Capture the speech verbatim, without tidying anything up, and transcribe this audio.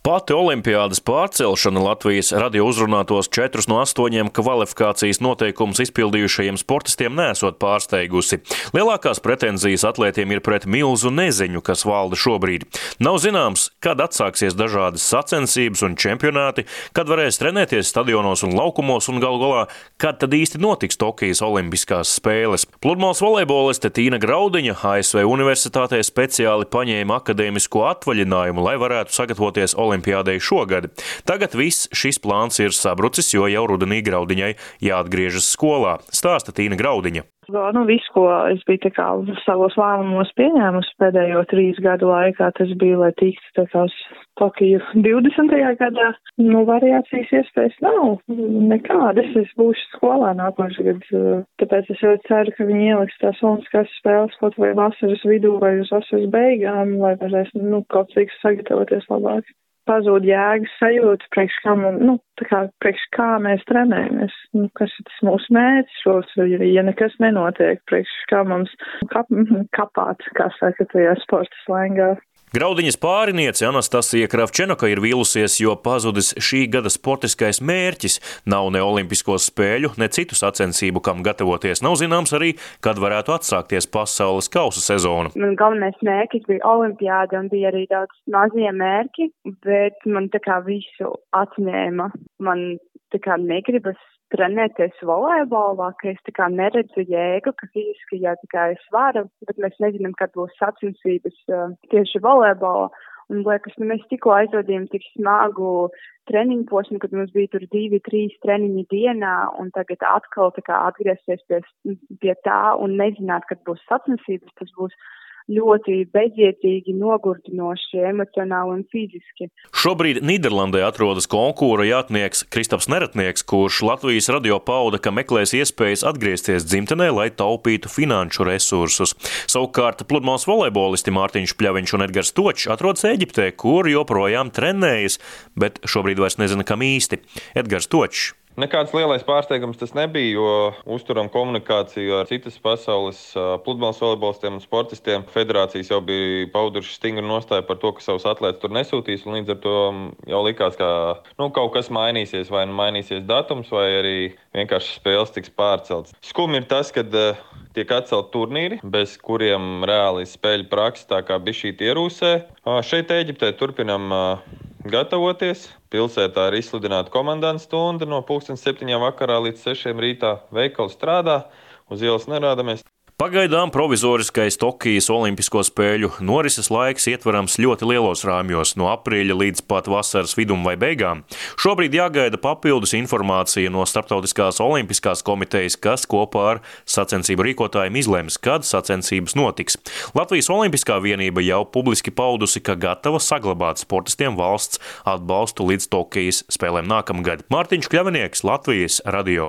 Pati olimpiādes pārcelšana Latvijas radio uzrunātos četrus no astoņiem kvalifikācijas noteikumus izpildījušajiem sportistiem nesot pārsteigusi. Lielākās pretenzijas atlētiem ir pret milzu neziņu, kas valda šobrīd. Nav zināms, kad atsāksies dažādas sacensības un čempionāti, kad varēs trenēties stadionos un laukumos un galu galā, kad tad īsti notiks Tokijas olimpiskās spēles. Pludmales volejboliste Tīna Graudiņa A S V Universitātē speciāli paņēma akadēmisko atvaļinājumu, lai varētu sagatavoties olimpiādei šogad. Tagad viss šis plāns ir sabrucis, jo jau rudenī Graudiņai jāatgriežas skolā. Stāsta Tīna Graudiņa. Nu, visu, ko es biju tā kā savos lēmumos pieņēmusi pēdējo trīs gadu laikā, tas bija, lai tiktu tā kā uz Tokiju divdesmitajā gadā. Nu, variācijas iespējas nav nekādas. Es būšu skolā nākošais gads, tāpēc es ļoti ceru, ka viņi ieliks tās olimpiskās spēles kaut vai vasaras vidū vai uz vasaras beigām, lai varēs, nu, kaut cik sagatavoties labāk. Pazūd jēgas sajūta, priekš kā, nu, tā kā, priekš kā mēs trenējamies, nu, kas ir tas mūsu mērķis šos, ja nekas nenotiek, priekš kā mums kap, kapāt, kā saka, tajā sporta slēngā. Graudiņas pāriniece Anastasija Kravčenoka ir vīlusies, jo pazudis šī gada sportiskais mērķis. Nav ne olimpisko spēļu, ne citu sacensību, kam gatavoties. Nav zināms arī, kad varētu atsākties pasaules kausa sezona. Man galvenais mērķis bija olimpiāda un bija arī daudz mazie mērķi, bet man tā kā visu atņēma. Man tā kā negribas trenēties volejbolā, ka es tā kā neredzu jēgu, ka fiziski jā, tā kā es varu, bet mēs nezinām, kad būs sacensības uh, tieši volejbolā. Un liekas, nu, mēs tikko aizvadījām tik smagu treniņu posmu, kad mums bija tur divi, trīs treniņi dienā, un tagad atkal tā kā atgriezties pie, pie tā un nezināt, kad būs sacensības, tas būs ļoti bezjēdzīgi, nogurdinoši, emocionāli un fiziski. Šobrīd Nīderlandē atrodas konkūra jātnieks Kristaps Neratnieks, kurš Latvijas radio pauda, ka meklēs iespējas atgriezties dzimtenē, lai taupītu finanšu resursus. Savukārt pludmales volejbolisti Mārtiņš Pļaviņš un Edgars Točs atrodas Eģiptē, kur joprojām trenējas, bet šobrīd vairs nezina, kam īsti. Edgars Točs. Nekāds lielais pārsteigums tas nebija, jo uzturam komunikāciju ar citas pasaules pludmales volejbolistiem un sportistiem. Federācijas jau bija pauduši stingru nostāju par to, ka savus atlētus tur nesūtīs, un līdz ar to jau likās, ka nu, kaut kas mainīsies, vai nu mainīsies datums, vai arī vienkārši spēles tiks pārceltas. Skumi ir tas, kad tiek atcelt turnīri, bez kuriem reāli spēļu praksa tā kā bišķīt ierūsē. Šeit Eģiptē turpinam gatavoties. Pilsētā ir izsludināta komandantu stunda no pulksten septiņiem vakarā līdz sešiem rītā. Veikals strādā, uz ielas nerādamies. Pagaidām provizoriskais Tokijas olimpisko spēļu norises laiks ietverams ļoti lielos rāmjos, no aprīļa līdz pat vasaras vidum vai beigām. Šobrīd jāgaida papildus informācija no Starptautiskās olimpiskās komitejas, kas kopā ar sacensību rīkotājiem izlems, kad sacensības notiks. Latvijas olimpiskā vienība jau publiski paudusi, ka gatava saglabāt sportistiem valsts atbalstu līdz Tokijas spēlēm nākamgad. Mārtiņš Pļavinieks, Latvijas radio.